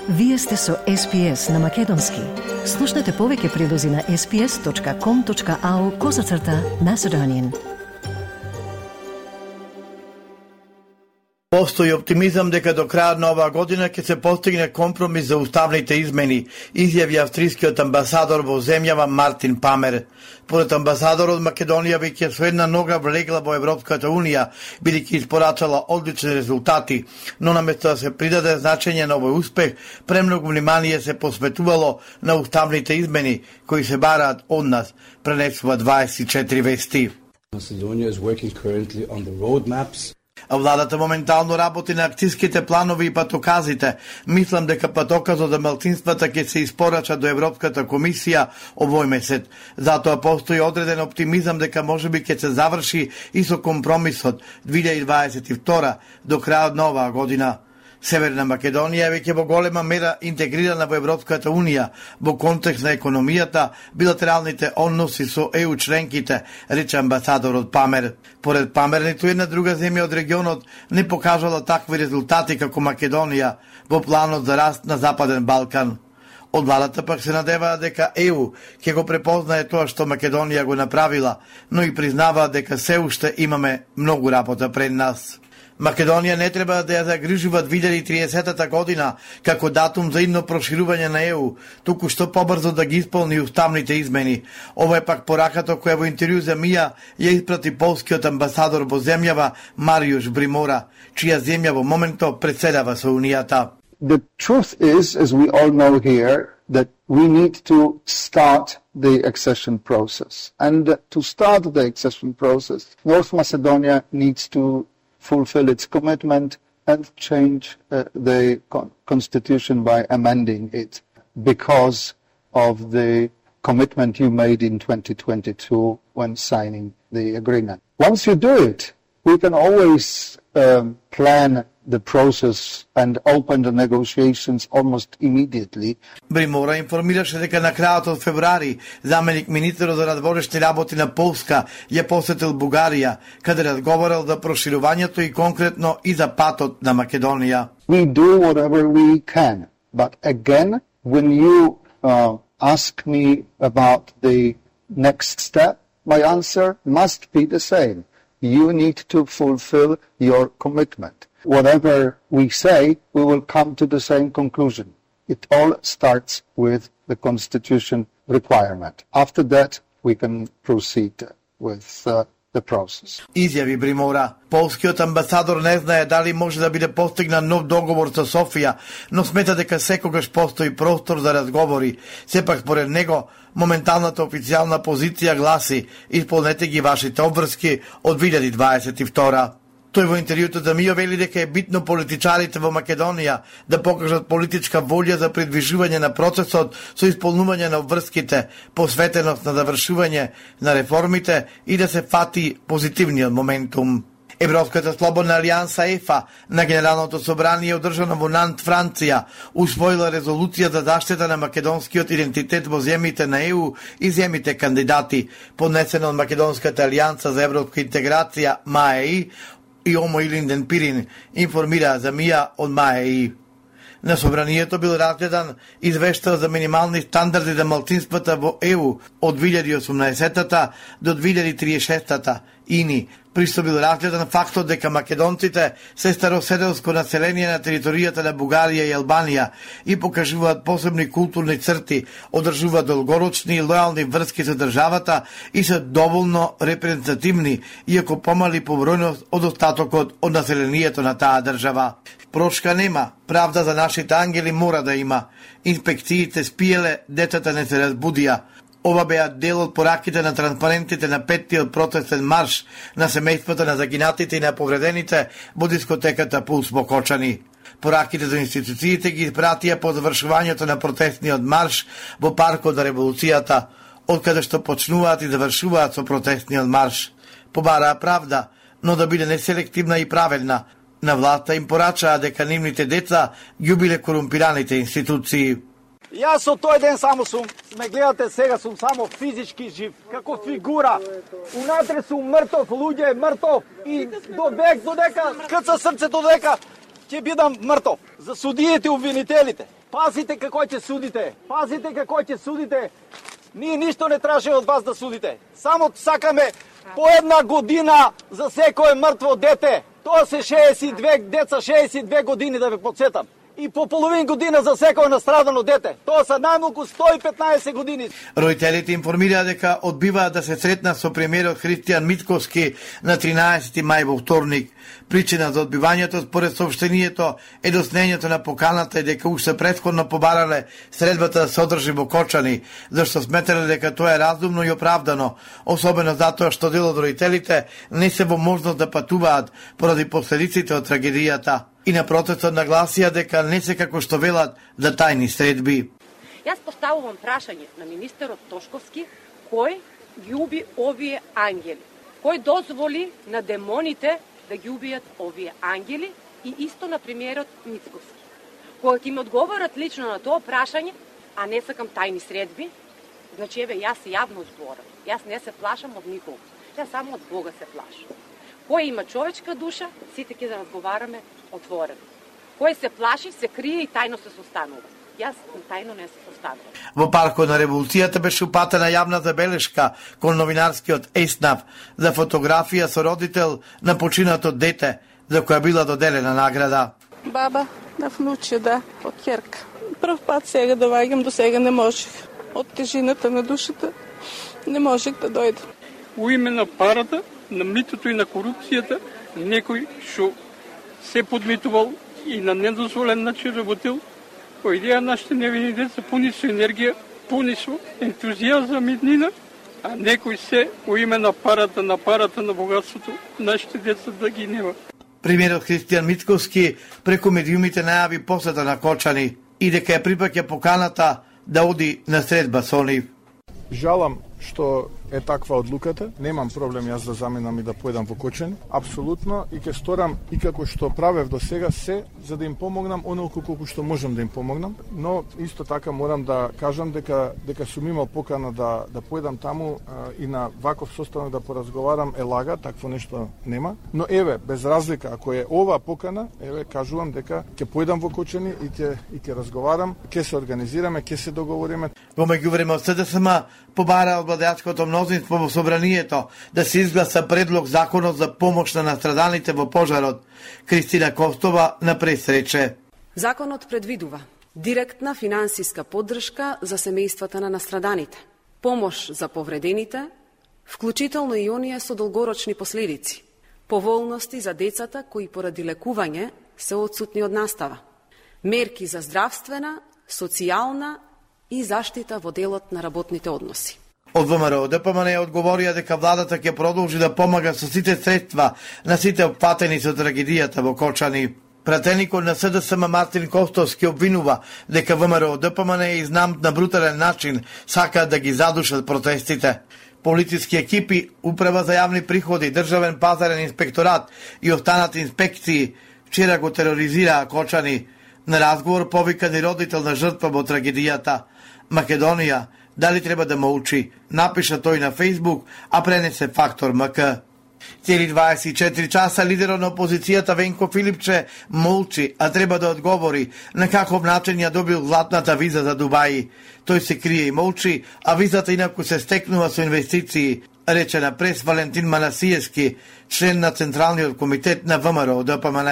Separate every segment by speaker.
Speaker 1: Вие сте со SPS на Македонски. Слушнете повеќе прилози на sps.com.au/Macedonian.
Speaker 2: Постои оптимизам дека до крајот на оваа година ќе се постигне компромис за уставните измени, изјави австрискиот амбасадор во земјава Мартин Памер. Поред амбасадорот, Македонија веќе со една нога влегла во Европската Унија, бидејќи испорачала одлични резултати, но наместо да се придаде значење на овој успех, премногу внимание се посветувало на уставните измени кои се бараат од нас, пренесува 24 вести.
Speaker 3: Macedonia is working currently on the roadmaps.
Speaker 2: А владата моментално работи на акциските планови и патоказите. Мислам дека патоказот за малцинствата ќе се испорача до Европската комисија овој месец. Затоа постои одреден оптимизам дека можеби ќе се заврши и со компромисот 2022 до крајот на оваа година. Северна Македонија е веќе во голема мера интегрирана во Европската Унија во контекст на економијата, билатералните односи со ЕУ членките, рече амбасадорот Памер. Поред Памер, ниту една друга земја од регионот не покажала такви резултати како Македонија во планот за раст на Западен Балкан. Од владата пак се надеваа дека ЕУ ќе го препознае тоа што Македонија го направила, но и признаваа дека се уште имаме многу работа пред нас. Македонија не треба да ја загрижува 2030 година како датум за идно проширување на ЕУ, туку што побрзо да ги исполни уставните измени. Ова е пак пораката која во интервју за МИА ја испрати полскиот амбасадор во земјава Мариуш Бримора, чија земја во моментот председава со Унијата.
Speaker 4: The truth is, as we all know here, that we need to start the accession process. And to start the accession process, North Macedonia needs to fulfill its commitment and change the constitution by amending it because of the commitment you made in 2022 when signing the agreement. Once you do it, we can always plan the process and open the negotiations almost immediately.
Speaker 2: Бримора информираше дека на крајот од февруари заменик министерот за надворешни работи на Полска ја посетил Бугарија, каде разговарал за проширувањето и конкретно и за патот на Македонија.
Speaker 4: We do whatever we can, but again, when you ask me about the next step, my answer must be the same. You need to fulfill your commitment. Whatever we say, we will come to the same conclusion. It all starts with the Constitution requirement. After that, we can proceed with the process.
Speaker 2: Изјави Бримора. Полскиот амбасадор не знае дали може да биде постигнат нов договор со Софија, но смета дека секогаш постои простор за разговори. Сепак, според него, моменталната официјална позиција гласи: исполнете ги вашите обврски од 2022. Тој во интервјуто за МИО вели дека е битно политичарите во Македонија да покажат политичка волја за придвижување на процесот со исполнување на обврските, посветеност на завршување на реформите и да се фати позитивниот моментум. Европската слободна алијанса ЕФА на Генералното собрание одржано во Нант, Франција, усвоила резолуција за заштита на македонскиот идентитет во земјите на ЕУ и земјите кандидати, поднесена од Македонската алијанса за европска интеграција МАЕИ и Омо Илинден Пирин, информира за МИА од МАЕИ. На собранието бил разгледан извештај за минимални стандарди за малцинствата во ЕУ од 2018 до 2036 ини. Присто бил разгледан фактот дека македонците се староседелско население на територијата на Бугарија и Албанија и покажуваат посебни културни црти, одржуваат долгорочни и лојални врски со државата и се доволно репрезентативни, иако помали по бројност од остатокот од населението на таа држава. Прошка нема, правда за нашите ангели мора да има. Инспекциите спиеле, децата не се разбудија. Ова беа дел од пораките на транспарентите на 5-тиот протестен марш на семејствата на загинатите и на повредените во дискотеката Пулс во Кочани. Пораките за институциите ги испратија по завршувањето на протестниот марш во паркот за револуцијата, од каде што почнуваат и завршуваат со протестниот марш. Побараа правда, но да биде неселективна и праведна. На власта им порачаа дека нивните деца ги убиле корумпираните институции.
Speaker 5: Јас со тој ден само сум, ме гледате сега, сум само физички жив, како фигура. Унатре сум мртов, луѓе, мртов и до век, додека, каца срцето, додека ќе бидам мртов. За судиите и обвинителите, Пазите како ќе судите. Пазите како ќе судите. Ние ништо не тражиме од вас да судите. Само сакаме по една година за секое мртво дете. Тоа се 62 деца, 62 години да ве подсетам. И по половин година за секој настрадано дете. Тоа се најмалку 115 години.
Speaker 2: Родителите информираа дека одбиваат да се сретнат со премиерот Христијан Мицкоски на 13 мај во вторник. Причина за одбивањето според соопштението е доснењето на поканата и дека уште претходно побарале средбата да се одржи во Кочани, зашто сметале дека тоа е разумно и оправдано, особено затоа што дел од родителите не се во можност да патуваат поради последиците од трагедијата. И на протестот нагласија дека не се како што велат за тајни средби.
Speaker 6: Јас поставувам прашање на министерот Тошковски, кој ги уби овие ангели? Кој дозволи на демоните да ги убијат овие ангели и исто на премиерот Мицкоски? Кога ќе ми одговорат лично на тоа прашање, а не сакам тајни средби, значи еве јас јавно зборам. Јас не се плашам од никого. Јас само од Бога се плашам. Кој има човечка душа, сите ќе да разговараме отворено. Кој се плаши, се крие и тајно се состанува. Јас тајно не се состанувам.
Speaker 2: Во паркот на Револуцијата беше упатена јавна забелешка кон новинарскиот ЕСНАВ за фотографија со родител на починато дете, за која била доделена награда.
Speaker 7: Баба на внуче, да, од ќерка. Прв пат сега доаѓам, до сега не можех. Од тежината на душата не можех да дојдам.
Speaker 8: У име на парата, на митото и на корупцијата, некој што се подмитувал и на недозволен начин работил, по идеја нашите невини деца пуни со енергија, пуни со ентузијазам и днина, а некој се у име на парата, на богатството, нашите деца да ги нема.
Speaker 2: Премиерот Христијан Мицкоски преку медиумите најави посета на Кочани и дека ја припаќа поканата да оди на средба со нив.
Speaker 9: Жалам што е таква одлуката. Немам проблем јас да заминам и да појдам во Кочани. Апсолутно, и ќе сторам и како што правев до сега се, за да им помогнам онолку колку што можам да им помогнам. Но исто така морам да кажам дека сум имал покана да појдам таму и на ваков состанок да поразговарам е лага, такво нешто нема. Но еве, без разлика, ако е ова покана, еве кажувам дека ќе појдам во Кочани и ќе разговарам, ќе се организираме, ќе се договориме.
Speaker 2: Во меѓувреме од СДСМ побара од владеачкото мнозинство во собранието да се изгласа предлог законот за помош на настраданите во пожарот. Кристина Костова на пресрече.
Speaker 10: Законот предвидува директна финансиска поддршка за семејствата на настраданите, помош за повредените, вклучително и оние со долгорочни последици, поволности за децата кои поради лекување се отсутни од настава, мерки за здравствена, социјална и заштита во делот на работните односи.
Speaker 2: Од ВМРО ДПМН одговорија дека владата ќе продолжи да помага со сите средства на сите опфатени со трагедијата во Кочани. Пратеникот на СДСМ Мартин Костовски обвинува дека ВМРО ДПМН изнамт на брутален начин сакаат да ги задушат протестите. Полициски екипи, Управа за јавни приходи, Државен пазарен инспекторат и останати инспекции вчера го тероризираа Кочани. На разговор повикан и родител на жртва во трагедијата. Македонија, дали треба да молчи, напиша тој на Фейсбук, а пренесе Фактор МК. Цели 24 часа лидерот на опозицијата Венко Филипче молчи, а треба да одговори на каков начин ја добил златната виза за Дубај. Тој се крие и молчи, а визата инаку се стекнува со инвестиции, рече на прес Валентин Манасиевски, член на Централниот комитет на ВМРО ДПМН.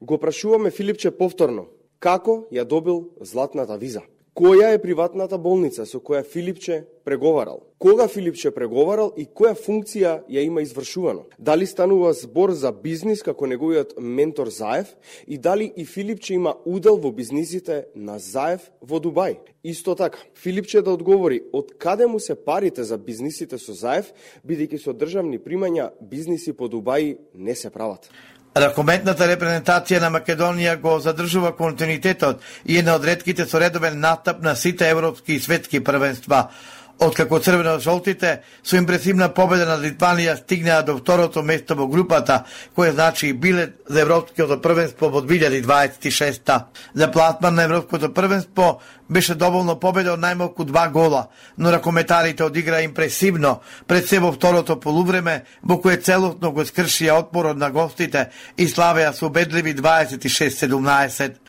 Speaker 11: Го прашуваме Филипче повторно, како ја добил златната виза? Која е приватната болница со која Филипче преговарал? Кога Филипче преговарал и која функција ја има извршувано? Дали станува збор за бизнис како неговиот ментор Заев и дали и Филипче има удел во бизнисите на Заев во Дубај? Исто така, Филипче да одговори од каде му се парите за бизнисите со Заев, бидејќи со државни примања бизниси по Дубај не се прават.
Speaker 2: Ракометната репрезентација на Македонија го задржува континуитетот и една од ретките со редовен настап на сите европски и светски првенства. Откако црвено-жолтите со импресивна победа над Литванија стигнаа до второто место во групата, кој значи и билет за Европското првенство во 2026-та. За пласман на Европското првенство беше доволно победа од најмалку 2 гола, но ракометарите одиграа импресивно пред се во второто полувреме, во кое целосно го скршија отпорот на гостите и славеа со убедливи 26-17.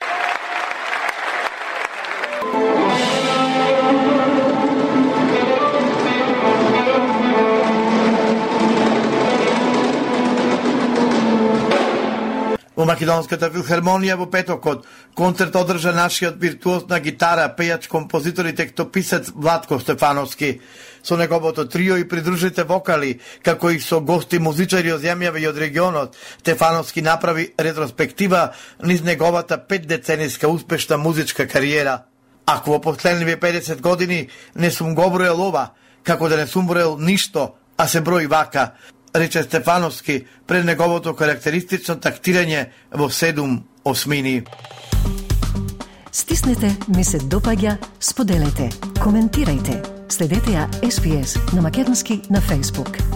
Speaker 2: Во Македонската филхармонија во петокот концерт одржа нашиот виртуоз на гитара, пејач, композитор и текстописец Владко Стефановски. Со неговото трио и придружите вокали, како и со гости музичари од земјава и од регионот, Стефановски направи ретроспектива низ неговата 5-децениска успешна музичка кариера. Ако во последниве 50 години не сум го броел ова, како да не сум броел ништо, а се брои вака, рече Стефановски пред неговото карактеристично тактирање во 7 осмини.
Speaker 1: Стиснете, ми се допаѓа, споделете, коментирајте. Следете ја SPS на македонски на Facebook.